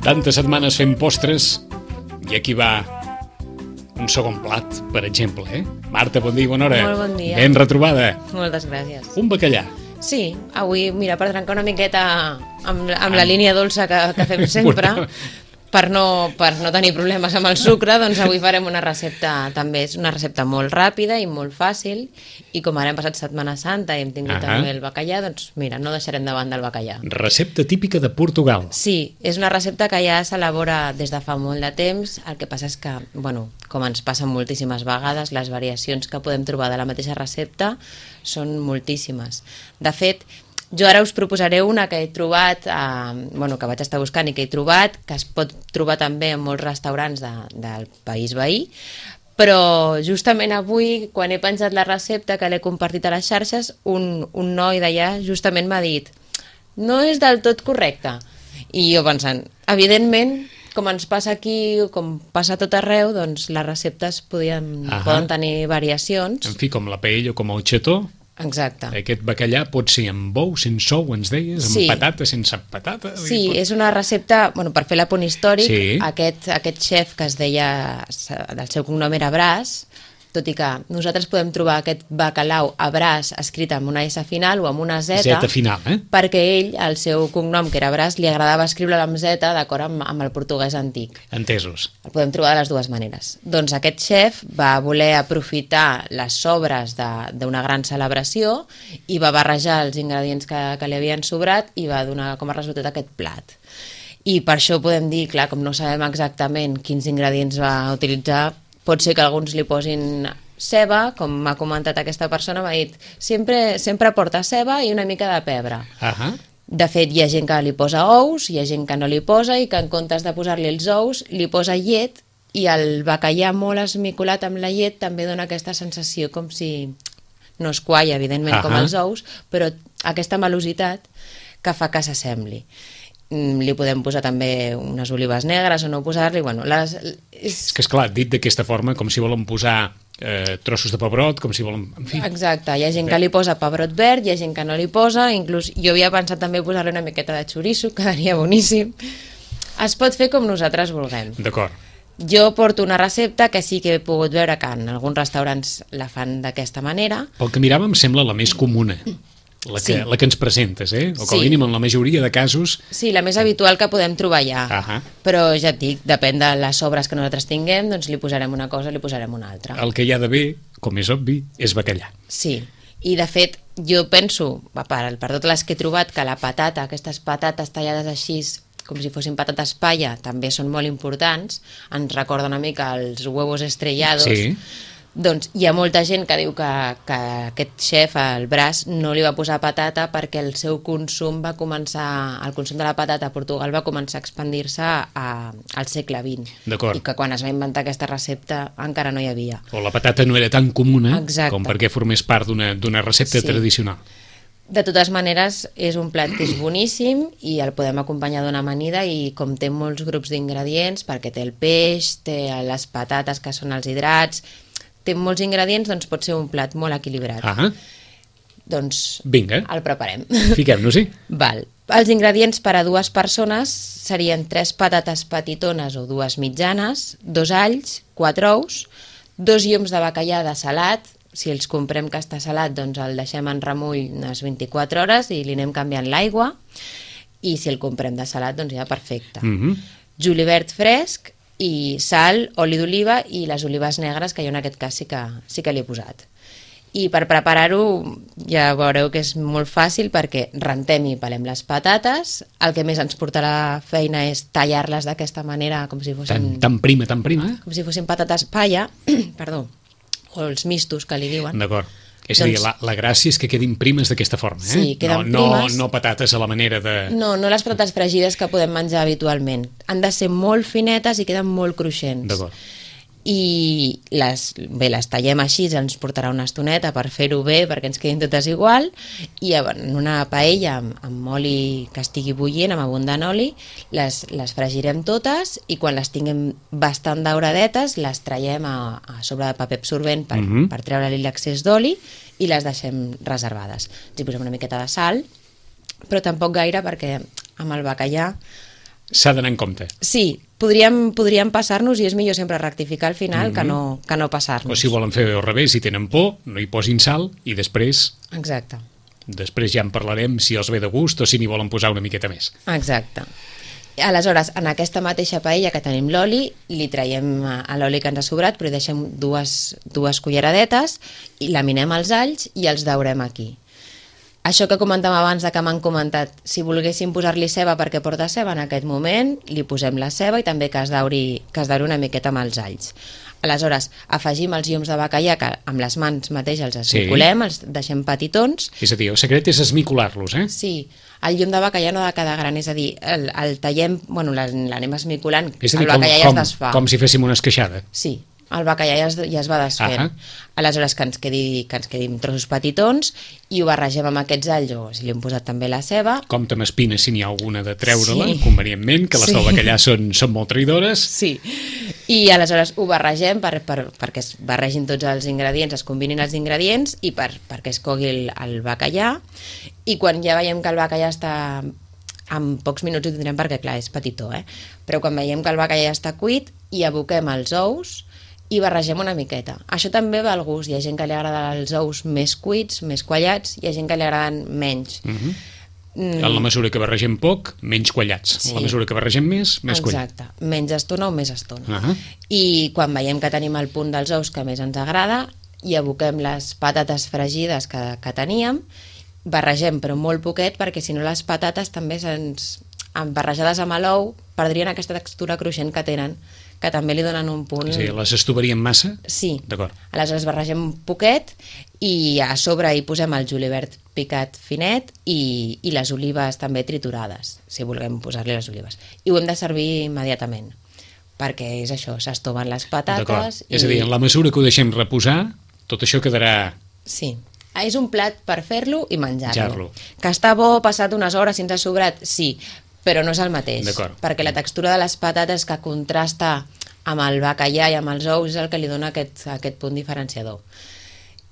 Tantes setmanes fent postres i aquí va un segon plat, per exemple, Marta, bon dia, bona hora. Molt bon dia. Ben retrobada. Moltes gràcies. Un bacallà. Sí, avui, mira, per trencar una miqueta amb la línia dolça que fem sempre, per no tenir problemes amb el sucre, doncs avui farem una recepta, també és una recepta molt ràpida i molt fàcil, i com ara hem passat Setmana Santa i hem tingut també el bacallà, doncs mira, no deixarem de banda el bacallà. Recepta típica de Portugal. Sí, és una recepta que ja s'elabora des de fa molt de temps, el que passa és que, bueno, com ens passa moltíssimes vegades, les variacions que podem trobar de la mateixa recepta són moltíssimes. De fet, jo ara us proposaré una que he trobat, que vaig estar buscant i que he trobat, que es pot trobar també en molts restaurants del país veí, però justament avui, quan he penjat la recepta que l'he compartit a les xarxes, un noi d'allà justament m'ha dit no és del tot correcte. I jo pensant, evidentment, com ens passa aquí, com passa a tot arreu, doncs les receptes poden tenir variacions. En fi, com la paella o com el xató. Exacte. Aquest bacallà pot ser amb bou, sense ou, ens deies, amb patata, sense patata. Sí, és una recepta, per fer l'apunt històric, aquest xef que es deia, el seu cognom era Bras, tot i que nosaltres podem trobar aquest bacalao a Bras escrit amb una S final o amb una Z, final, perquè ell, el seu cognom, que era Bras, li agradava escriure-lo amb Z d'acord amb el portuguès antic. Entesos. El podem trobar de les dues maneres. Doncs aquest xef va voler aprofitar les sobres d'una gran celebració i va barrejar els ingredients que li havien sobrat i va donar com a resultat aquest plat. I per això podem dir, clar, com no sabem exactament quins ingredients va utilitzar, pot ser que alguns li posin ceba, com m'ha comentat aquesta persona, m'ha dit, sempre porta ceba i una mica de pebre. De fet, hi ha gent que li posa ous, hi ha gent que no li posa i que en comptes de posar-li els ous, li posa llet, i el bacallà molt esmicolat amb la llet també dona aquesta sensació com si no es qualla, evidentment, com els ous, però aquesta malositat que fa que s'assembli. Li podem posar també unes olives negres o no posar-li, És que, esclar, dit d'aquesta forma, com si volen posar trossos de pebrot, com si volen... En fi. Exacte, hi ha gent que li posa pebrot verd, hi ha gent que no li posa, inclús jo havia pensat també posar-li una miqueta de xoriço, quedaria boníssim. Es pot fer com nosaltres vulguem. D'acord. Jo porto una recepta que sí que he pogut veure que en alguns restaurants la fan d'aquesta manera. Pel que mirava em sembla la més comuna. La que ens presentes, o com a mínim en la majoria de casos... Sí, la més habitual que podem trobar ja. Però ja et dic, depèn de les sobres que nosaltres tinguem, doncs li posarem una cosa, li posarem una altra. El que hi ha d'haver, com és obvi, és bacallà. Sí, i de fet jo penso, per totes les que he trobat, que la patata, aquestes patates tallades així, com si fossin patates palla, també són molt importants, ens recorda una mica els huevos estrellados. Sí. Doncs hi ha molta gent que diu que aquest xef, el Bras, no li va posar patata perquè el seu consum va començar, el consum de la patata a Portugal va començar a expandir-se al segle XX. D'acord. I que quan es va inventar aquesta recepta encara no hi havia. O la patata no era tan comuna com perquè formés part d'una recepta tradicional. De totes maneres, és un plat que és boníssim i el podem acompanyar d'una amanida i com té molts grups d'ingredients, perquè té el peix, té les patates que són els hidrats, té molts ingredients, doncs pot ser un plat molt equilibrat. Doncs vinga, el preparem. Fiquem-nos-hi. Val. Els ingredients per a 2 persones serien 3 patates petitones o 2 mitjanes, 2 alls, 4 ous, 2 llums de bacallà de salat. Si els comprem que està salat, doncs el deixem en remull unes 24 hores i li anem canviant l'aigua. I si el comprem de salat, doncs ja perfecte. Julivert fresc, i sal, oli d'oliva i les olives negres, que jo en aquest cas sí que l'he posat. I per preparar-ho ja veureu que és molt fàcil perquè rentem i pelem les patates, el que més ens portarà feina és tallar-les d'aquesta manera com si fossin... Tan prima, com si fossin patates palla, perdó, o els mistos que li diuen. D'acord. És a dir, la gràcia és que quedin primes d'aquesta forma, Sí, queden primes. No patates a la manera de... No les patates fregides que podem menjar habitualment. Han de ser molt finetes i queden molt cruixents. D'acord. I les tallem així, ens portarà una estoneta per fer-ho bé, perquè ens quedin totes igual, i en una paella amb oli que estigui bullint, amb abundant oli, les fregirem totes i quan les tinguem bastant dauradetes les traiem a sobre de paper absorbent per treure-li l'excés d'oli i les deixem reservades. Ens hi posem una miqueta de sal, però tampoc gaire perquè amb el bacallà s'ha d'anar en compte. Sí, podríem passar-nos i és millor sempre rectificar al final que no passar-nos. O si volen fer al revés, si tenen por, no hi posin sal i després Exacte. ja en parlarem si els ve de gust o si n'hi volen posar una miqueta més. Exacte. Aleshores, en aquesta mateixa paella que tenim l'oli, li traiem l'oli que ens ha sobrat, però hi deixem dues culleradetes i laminem els alls i els daurem aquí. Això que comentàvem abans que m'han comentat, si volguéssim posar-li ceba perquè porta ceba en aquest moment, li posem la ceba i també que es dauri una miqueta amb els alls. Aleshores, afegim els llums de bacallà que amb les mans mateix els esmicolem, els deixem petitons. És a dir, el secret és esmicolar-los, eh? Sí, el llum de bacallà no ha de quedar gran, és a dir, el tallem, bueno, l'anem esmicolant, el bacallà ja es desfà. Com si féssim una esqueixada. Sí, el bacallà ja es va desfent. Aleshores que ens quedi trossos petitons i ho barregem amb aquests alls, o si li hem posat també la ceba. Compte amb espines si n'hi ha alguna de treure-la, convenientment, que les del bacallà són molt traïdores. Sí, i aleshores ho barregem perquè es barregin tots els ingredients, es combinin els ingredients i perquè es cogui el bacallà, i quan ja veiem que el bacallà està... En pocs minuts ho tindrem perquè, clar, és petitó, però quan veiem que el bacallà està cuit, hi aboquem els ous i barregem una miqueta. Això també va al gust. Hi ha gent que li agrada els ous més cuits, més quallats, hi ha gent que li agraden menys. En la mesura que barregem poc, menys quallats. En la mesura que barregem més quallats. Exacte. Menys estona o més estona. I quan veiem que tenim el punt dels ous que més ens agrada, hi aboquem les patates fregides que teníem, barregem però molt poquet perquè si no les patates també barrejades amb l'ou perdrien aquesta textura cruixent que tenen, que també li donen un punt... Sí, les estovaríem massa? Sí. D'acord. Aleshores barregem un poquet i a sobre hi posem el julivert picat finet i les olives també triturades, si volem posar-li les olives. I ho hem de servir immediatament, perquè és això, s'estoven les patates... És a dir, en la mesura que ho deixem reposar, tot això quedarà... Sí. És un plat per fer-lo i menjar-lo. Que està bo, passat unes hores, si ens ha sobrat, sí, però no és el mateix, perquè la textura de les patates que contrasta amb el bacallà i amb els ous és el que li dona aquest punt diferenciador.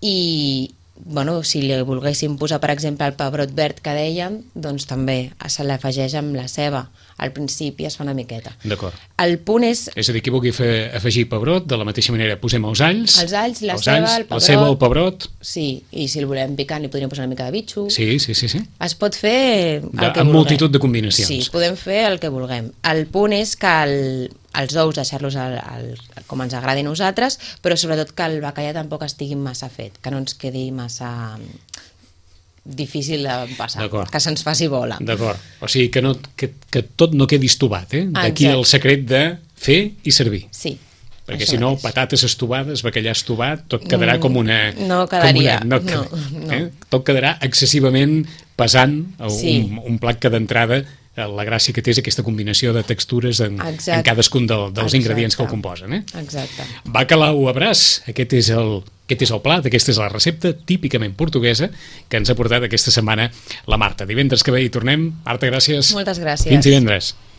I, bueno, si li volguéssim posar, per exemple, el pebrot verd que dèiem, doncs també se l'afegeix amb la ceba. Al principi es fa una miqueta. D'acord. El punt és... És a dir, qui vulgui afegir pebrot, de la mateixa manera posem els alls... Els alls, la ceba, el pebrot... La ceba, el pebrot... Sí, i si el volem picant li podríem posar una mica de bitxo... Sí. Es pot fer el que vulguem. Amb multitud de combinacions. Sí, podem fer el que vulguem. El punt és que els ous deixar-los com ens agradi a nosaltres, però sobretot que el bacallà tampoc estigui massa fet, que no ens quedi massa... difícil de passar, que se'ns faci bola. D'acord, o sigui que tot no quedi estovat, D'aquí el secret de fer i servir. Sí. Perquè si no, patates estovades, bacallà estovat, tot quedarà com una... No quedaria, no. Tot quedarà excessivament pesant, un plat que d'entrada la gràcia que té és aquesta combinació de textures en cadascun dels ingredients que el composen. Exacte. Bacalao a braç, aquest és el plat, aquesta és la recepta típicament portuguesa que ens ha portat aquesta setmana la Marta. Divendres que ve hi tornem. Marta, gràcies. Moltes gràcies. Fins divendres.